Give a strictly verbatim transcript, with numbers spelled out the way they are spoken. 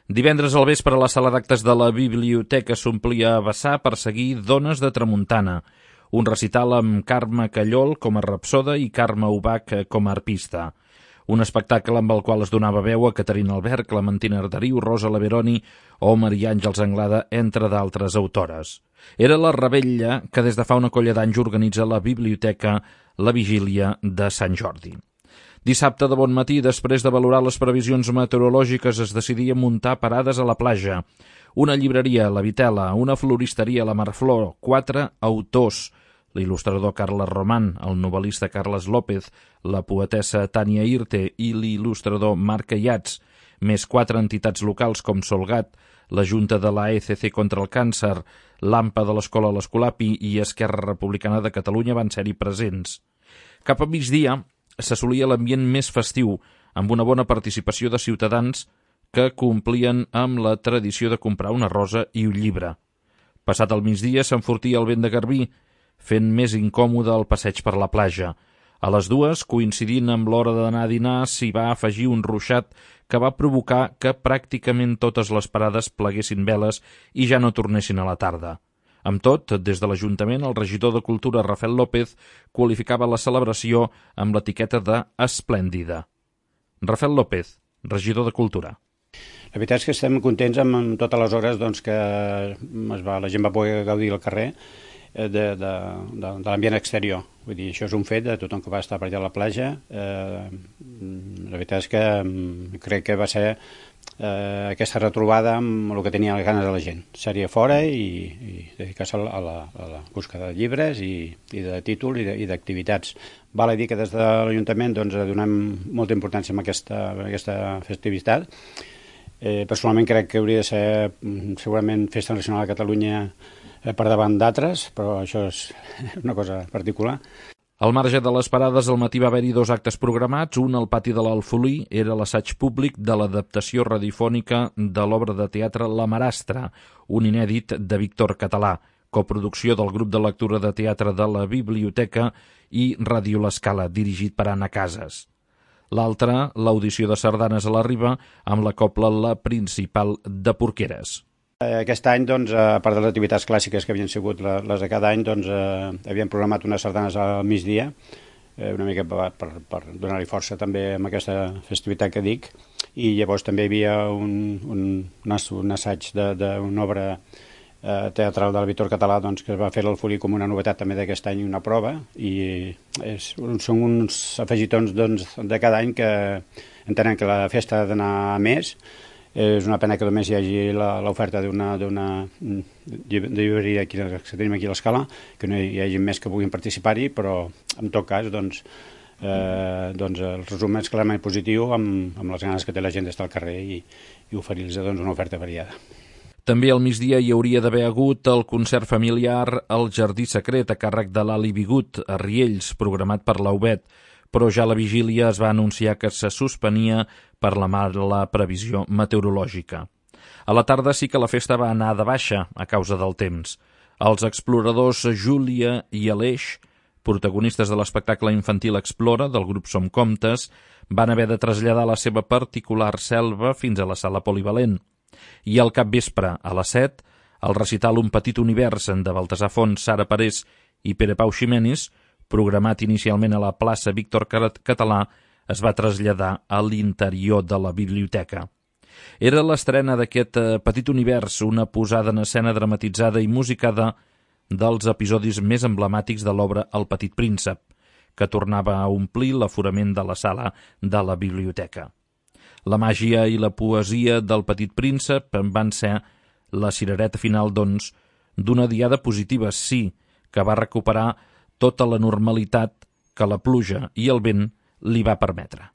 Divendres al vespre la sala d'actes de la biblioteca s'omplia a vessar per seguir Dones de Tramuntana, un recital amb Carme Callol com a rapsoda i Carme Ubach com a arpista. Un espectacle amb el qual es donava veu a Caterina Albert, Clementina Arderiu, Rosa Laveroni o Maria Àngels Anglada, entre d'altres autores. Era la revetlla que des de fa una colla d'anys organitza la biblioteca la vigília de Sant Jordi. Dissabte de bon matí, després de valorar les previsions meteorològiques, es decidia muntar parades a la platja. Una llibreria, la Vitela, una floristeria, la Marflor, quatre autors, l'il·lustrador Carles Román, el novel·lista Carles López, la poetessa Tània Irte i l'il·lustrador Marc Ayats, més quatre entitats locals com Solgat, la Junta de la A E C C contra el càncer, l'AMPA de l'Escola l'Escolapi i Esquerra Republicana de Catalunya van ser-hi presents. Cap a migdia s'assolia l'ambient més festiu, amb una bona participació de ciutadans que complien amb la tradició de comprar una rosa i un llibre. Passat el migdia s'enfortia el vent de garbí, fent més incòmode el passeig per la platja. A les dues, coincidint amb l'hora d'anar a dinar, s'hi va afegir un ruixat que va provocar que pràcticament totes les parades pleguessin veles i ja no tornessin a la tarda. Amb tot, des de l'Ajuntament, el regidor de Cultura, Rafael López, qualificava la celebració amb l'etiqueta de esplèndida. Rafael López, regidor de Cultura. La veritat és que estem contents amb, amb totes les hores doncs, que es va, la gent va poder gaudir al carrer de, de, de, de l'ambient exterior. Vull dir, això és un fet de tothom que va estar per allà a la platja. Eh, la veritat és que crec que va ser eh, aquesta retrobada amb el que tenia les ganes de la gent. Seria fora i, i dedicar-se a la, a la busca de llibres i, i de títol i d'activitats. Val a dir que des de l'Ajuntament doncs, donem molta importància a aquesta, a aquesta festivitat. Eh, personalment crec que hauria de ser segurament Festa Nacional de Catalunya eh, per davant d'altres, però això és una cosa particular. Al marge de les parades, al matí va haver-hi dos actes programats. Un al pati de l'Alfolí era l'assaig públic de l'adaptació radiofònica de l'obra de teatre La Marastra, un inèdit de Víctor Català, coproducció del grup de lectura de teatre de la biblioteca i Ràdio L'Escala, dirigit per Anna Casas. L'altre, l'audició de sardanes a la Riba, amb la cobla La Principal de Porqueres. Aquest any, doncs, a part de les activitats clàssiques que havien sigut les de cada any, doncs, eh, havien programat unes sardanes al migdia, eh, una mica per, per, per donar-hi força també amb aquesta festivitat que dic, i llavors també hi havia un, un, un assaig d'una obra eh, teatral del Víctor Català doncs, que es va fer a l'Alfolí com una novetat també d'aquest any, una prova, i és, són uns afegitons doncs, de cada any que entenen que la festa ha d'anar a més. És una pena que només hi hagi l'oferta d'una llibreria que tenim aquí a l'Escala, que no hi hagi més que puguin participar-hi, però en tot cas doncs, eh, doncs el resum és clarament positiu amb, amb les ganes que té la gent d'estar al carrer i, i oferir-los doncs, una oferta variada. També al migdia hi hauria d'haver hagut el concert familiar al Jardí Secret a càrrec de l'Ali Bigut a Riells, programat per l'A U B E T, però ja a la vigília es va anunciar que se suspenia per la mala previsió meteorològica. A la tarda sí que la festa va anar de baixa a causa del temps. Els exploradors Júlia i Aleix, protagonistes de l'espectacle infantil Explora del grup Som Comptes, van haver de traslladar la seva particular selva fins a la sala polivalent. I al capvespre, a les set, el recital Un petit univers de Baltasar Font, Sara Parés i Pere Pau Ximenis, programat inicialment a la plaça Víctor Català, es va traslladar a l'interior de la biblioteca. Era l'estrena d'aquest Petit univers, una posada en escena dramatitzada i musicada dels episodis més emblemàtics de l'obra El petit príncep, que tornava a omplir l'aforament de la sala de la biblioteca. La màgia i la poesia del Petit príncep van ser la cirereta final, doncs, d'una diada positiva, sí, que va recuperar tota la normalitat que la pluja i el vent li va permetre.